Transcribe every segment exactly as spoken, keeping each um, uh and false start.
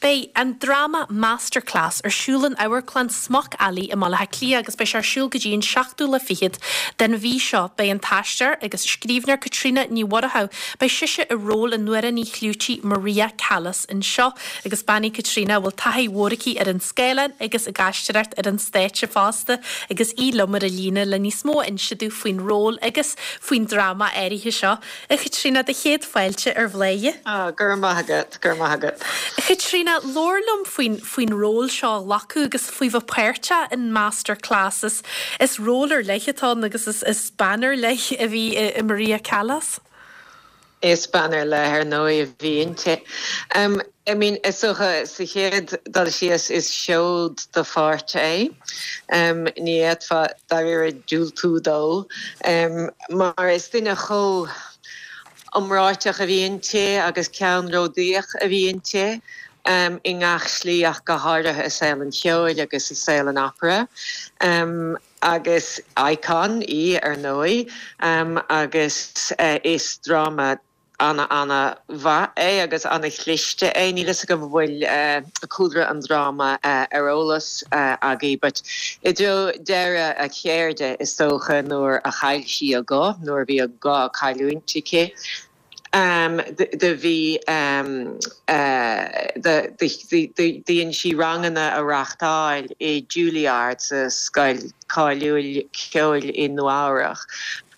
Beidh an dráma Masterclass ar siúl in Amharclann Smock Alley i mBaile Átha Cliath agus beidh sé ar siúl go dtí an seachtú lá fichead den mhí seo. Beidh an t-aisteoir agus scríbhneoir Caitríona Ní Mhurchú, beidh sise i ról an amhránaí chlúitigh Maria Callas anseo agus bean í Caitríona a bhfuil taithí mhór aici ar an scáileán agus ag aisteoireacht ar an stáitse fosta agus í liom ar an líne le níos mó a inse dúinn faoin ról agus faoin dráma áirithe seo. A Chaitríona do chéad fáilte ar Bhladhaire. Ah, go raibh maith agat, go raibh maith agat. Chaitríona labhair liom faoin faoin ról seo a ghlacadh agus faoi bheith páirteach in Masterclass is, is ról ar leith atá ann agus is, is bean ar leith a bhí i, i Maria Callas. Is bean ar leith ar ndóigh a bhí inti. Um, I mean is dócha sa chéad dul síos is seod de pháirt é. Um, ní fhéadfá dáiríre diúltú dó um, mar is duine chomh iomráiteach a bhí inti agus ceannródaíoch a bhí inti. Um, i ngach slí ach go háirithe i saol an cheoil agus i saol an opera. Um, agus icon í ar ndóigh um, agus uh, is dráma ana ana mhaith é agus ana chliste é níl a fhios agam bhfuil uh, cúlra an dráma uh, ar eolas uh, agaibh, but i dtreo deireadh a ceirde is dócha nuair a chaill sí a guth nuair bhí a guth caillte aici. Um, do bhí um, uh, dhein sí ranganna a reáchtáil i Juilliard sa scoil cáiliúil ceoil i Nua-Eabhrac.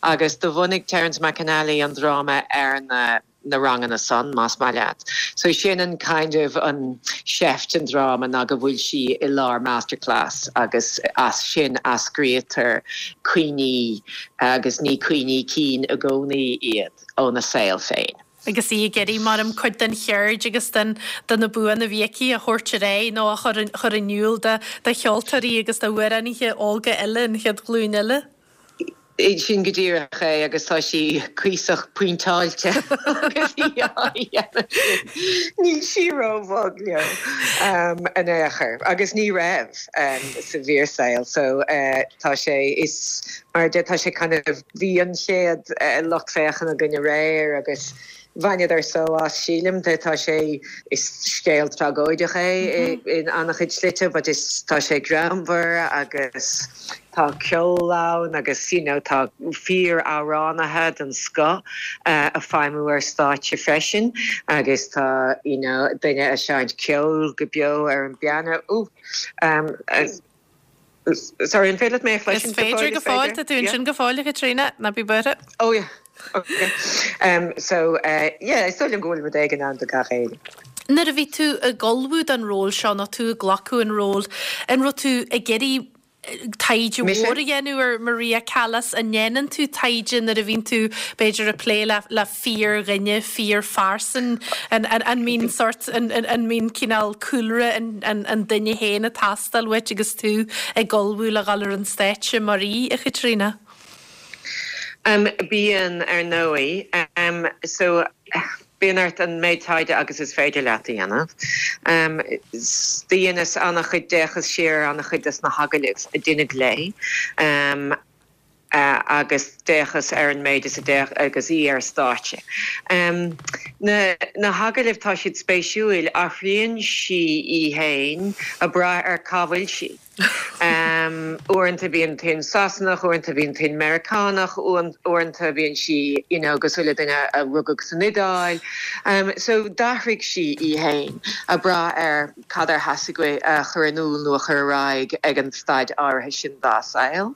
Agus do bhunaigh Terence McAnally an dráma ar na na ranganna san más maith leat. So sin an kind of an seift an dráma ná go bhfuil sí i lár masterclass agus as sin eascraítear cuimhní agus ní cuimhní cinn i gcónaí iad óna saol féin. Agus í ag iarraidh mar an cuid den cheird agus den den na buanna a bhí aici a thabhairt ar aghaidh nó a chur chur in iúl de de cheoltóirí agus de amhránaithe óga eile an chéad ghlúin eile. Sin go díreach é agus tá sí cuíosach pointeáilte agus Níl sí róbhog leo um, in aon chor agus ní raibh um, sa bhfíorshaol so uh, tá sé is mar de tá sé kind of bhí an chéad uh, lucht féachana againn aréir agus bhaineadar só as sílim tá tá sé is scéal tragóideach é in an-chuid slite, but is tá sé greannmhar agus tá ceol ann agus you know, tá fíor-amhránaithe den scoth uh, ag feidhmiú ar stáitse freisin agus tá you know, duine ag seinnt ceol go beo ar an bpianó. Um, uh, sorry an féidir mé Is féidir go fóill tú sin go fóill Caitríona ná bí buartha? Oh yeah. Okay. Um, so uh, yeah, is dóigh liom go bhfuil rud éigin ann do gach éinne. Nuair a bhí tú ag ullmhú don ról seo nó tú ag glacadh an ról, an raibh tú ag iarraidh taighde mór a dhéanamh ar Maria Callas an ndéanann tú taighde nuair a bhíonn tú b'fhéidir ag plé le le fíordhuine fíorphearsan an an an mbíonn sort an an mbíonn cineál cúlra an an an duine féin ag teastáil uait agus tú ag ullmhú le dhul ar an stáitse mar í a Chaitríona. Um, bíonn ar ndóigh um, so bíonn ort an méid taighde agus is féidir leat a dhéanamh. Um, Dheineas an-chuid d'fhéachas siar an-chuid des na hagallaimh a deineadh léi. Um, uh, agus d'fhéachas ar an méid is a d'fhéach agus í ar stáitse. Um, na, na hagallaimh tá siad spéisiúil athraíonn sí í féin ag brath ar cá bhfuil sí. Um, Uaireanta bíonn tuin Sasanach, uaireanta bíonn tuin Meiriceánach, uaireanta bíonn sí you know, cosúil le duine a rugadh san Iodáil. Um, so d'athraigh sí í féin ag brath ar cad ar theastaigh a chur in iúl nó a chur ar aghaidh ag an staid áirithe sin dá saol.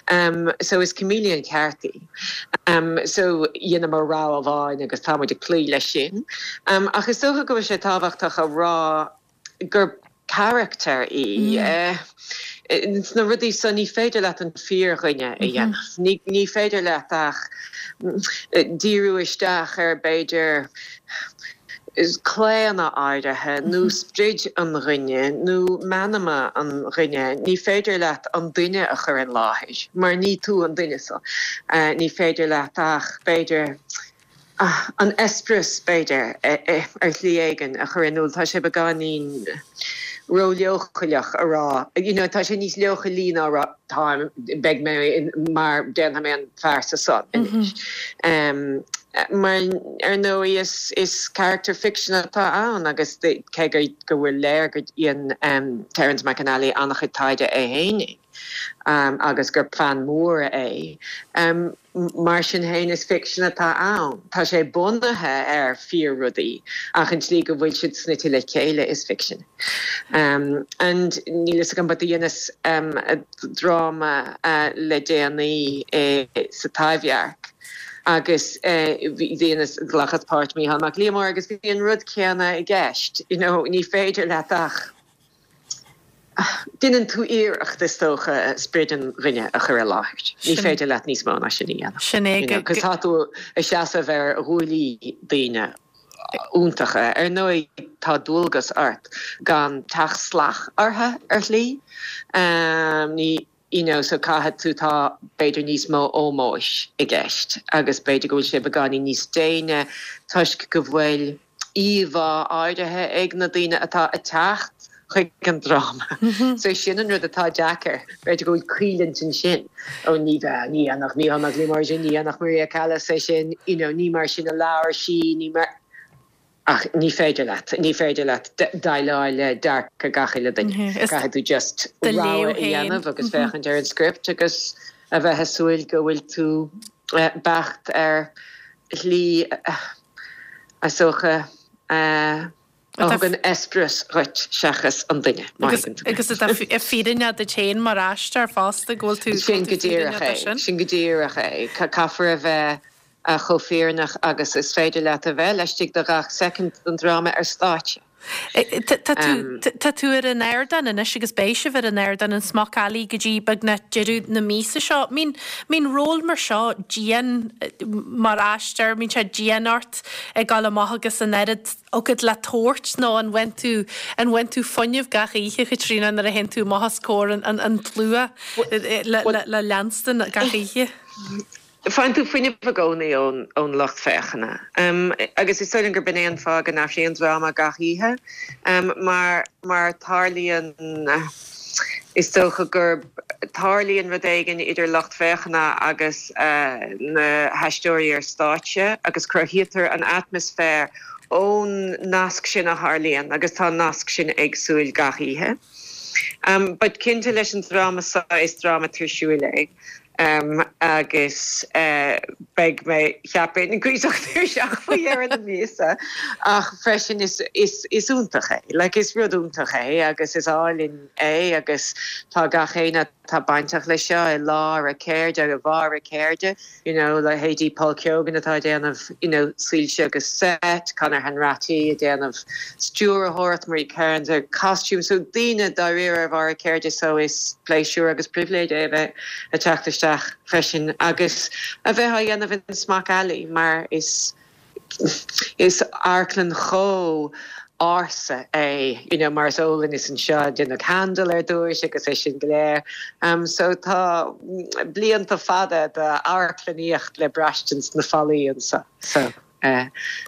Um, so is chameleon ceart í. Um, so dheineamar rogha amháin agus táimid ag cloí leis sin. Um, ach is dócha go bhfuil sé tábhachtach a rá gur charachtar í. Mm. Uh, na rudaí so ní féidir leat an fíordhuine a dhéanamh. Ní, ní féidir leat ach díriú isteach ar b'fhéidir is claonadh áirithe nó sprid an duine nó meanma an duine, ní féidir leat an duine a chur in láthair, mar ní tú an duine so. Uh, ní féidir leat ach b'fhéidir ah, an eispéireas b'fhéidir ar shlí éigin a chur in iúl tá sé beagáinín ró-leochaileach a rá. You know, tá sé níos leochailí ná rá tá beidh mé mar déanfaidh mé an phearsa san. Mm -hmm. um, Mar ar ndóigh is is character fiction atá ann agus cé go bhfuil léir go dhein um, Terence McAnally an-chuid taighde é féin um, agus gur fan mór é. Um, mar sin féin is fiction atá ann. Tá sé bunaithe ar fíor-rudaí ach an tslí go bhfuil siad snoite le chéile is fiction. Um, and níl a fhios agam but dheineas um, dráma uh, le déanaí eh, sa Taibhdhearc. agus dheineas ghlacas páirt Mícheál Mac Liammóir agus bhí an rud céanna i gceist. You know, ní féidir leat ach Déanann tú iarracht is dócha spiorad an duine a chur i láthair. Ní féidir leat níos mó ná sin a dhéanamh. Sin é Cos tá tú ag seasamh ar ghuaillí daoine iontacha ar ndóigh tá dualgas ort gan teacht salach orthu ar shlí. Um, ní you know, so caithfidh tú tá b'fhéidir níos mó ómóis i gceist agus b'fhéidir go bhfuil sé beagáinín níos déine toisc go bhfuil íomhá áirithe ag na daoine atá ag teacht chuig an dráma. So sin an rud atá deacair, b'fhéidir go bhfuil coimhlint ansin ó ní bheith ní nach ní nach lí mar sin ní nach Maria Callas é sin you know, ní mar sin a labhair sí ní mar ach ní féidir leat ní féidir leat déileáil le dearcadh gach uile duine caithfidh tú just rogha a dhéanamh agus féachaint ar an script agus a bheith ag súil go bhfuil tú beacht ar shlí is dócha a thugann eispéireas dhuit seachas an duine agus fírinne duit féin mar aisteoir fosta go bhfuil tú sin go díreach é sin go díreach é caithfear a bheith a chomh fírinneach agus is féidir leat a bheith laistigh de gach soicind den dráma ar stáitse. Tá tú ar an ardán anois agus beidh sibh ar an ardán in Smock Alley go dtí beagnach deireadh na míosa seo. Mbíonn mbíonn ról mar seo dian mar aisteoir, mbíonn sé dian ort ag dul amach agus an oiread agat le tabhairt nó an bhfaigheann tú an bhfaigheann tú fuinneamh gach oíche Chaitríona nuair a théann tú amach os comhair an, an, an tslua le, le, le leanstan gach oíche. Faigheann tú fuinneamh i gcónaí ón ón lucht féachana. Um, agus is dóigh gurb in é an fáth go n-athraíonn dráma gach oíche, um, mar mar tarlaíonn is dócha gur tarlaíonn rud éigin idir lucht féachana agus uh, na haisteoirí ar stáitse agus cruthaítear an atmaisféar ón nasc sin a tharlaíonn agus tá nasc sin éagsúil gach oíche. Um, but cinnte leis an dráma seo is dráma tuirsiúil é. Um, agus uh, beidh mé cheapfainn cuíosach tuirseach faoi dheireadh na míosa ach freisin is, is, is iontach é, like is rud iontach é agus is álainn é agus tá gach éinne atá bainteach le seo i lár a ceirde agus barr a ceirde, you know, leithéidí Paul Keogan atá déanamh you know, soilse agus set, Conor Hanratty ag déanamh stiúrthóireacht Marie Kearns ar costume, so daoine dáiríre ar bharr a ceirde so is pléisiúr agus pribhléid é bheith ag teacht isteach freisin agus a bheith á dhéanamh in Smock Alley mar is is amharclann chomh ársa é you know, mar is eol is anseo deineadh Handel ar dtús agus é sin go léir. Um, so tá blianta fada d'amharclannaíocht le braistint sna fallaí anseo. So uh,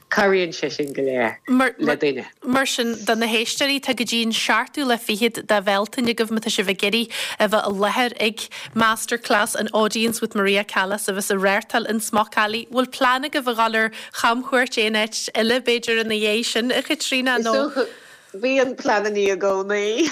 cabhraíonn sé sin go léir le duine. Mar sin do na héisteoirí tá go dtí an seachtú lá fichead de Bhealtaine agaibh má tá sibh ag iarraidh a bheith i láthair ag Masterclass an Audience with Maria Callas a bheas á reáchtáil in Smock Alley. Bhfuil plean agaibh a dhul ar chamchuairt aon áit eile b'fhéidir ina dhiaidh sin a Chaitríona nó? Bíonn pleananna i gcónaí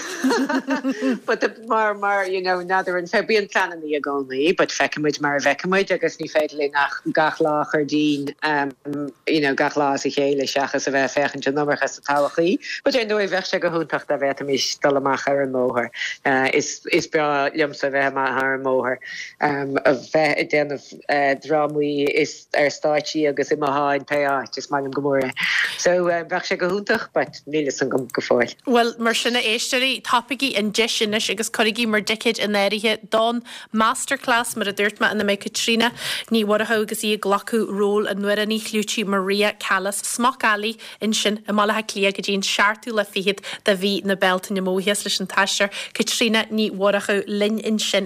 but mar mar you know nadidir an fe bíonn pleananna i gcónaí, but feicfimid mar a bhfeicfimid agus ní féidir linn ach gach lá a chur dínn um, you know, gach lá as a chéile seachas a bheith féachaint an iomarca sa todhchaí. But ar ndóigh bheadh sé go hiontach dá bhféadfaimis dul amach ar an mbóthar. Uh, is, is breá liomsa bheith amach ar an mbóthar um, a bheith ag déanamh uh, drámaí is ar stáitsí agus i mo sháinn pé áit is maith liom go mór é. So uh, bheadh sé go hiontach, but níl a fhios agam go fóill. Well mar sin a éisteoirí tapaígí an deis anois agus cuirigí bhur dticéid in áirithe don masterclass mar a dúirt mé ina mbeidh Caitríona Ní Mhurchú agus í ag glacadh ról an amhránaí chlúitigh Maria Callas Smock Alley ansin i mBaile Átha Cliath go dtí an seachtú lá fichead de mhí na Bealtaine. Mo bhuíochas leis an t-aisteoir Caitríona Ní Mhurchú linn ansin.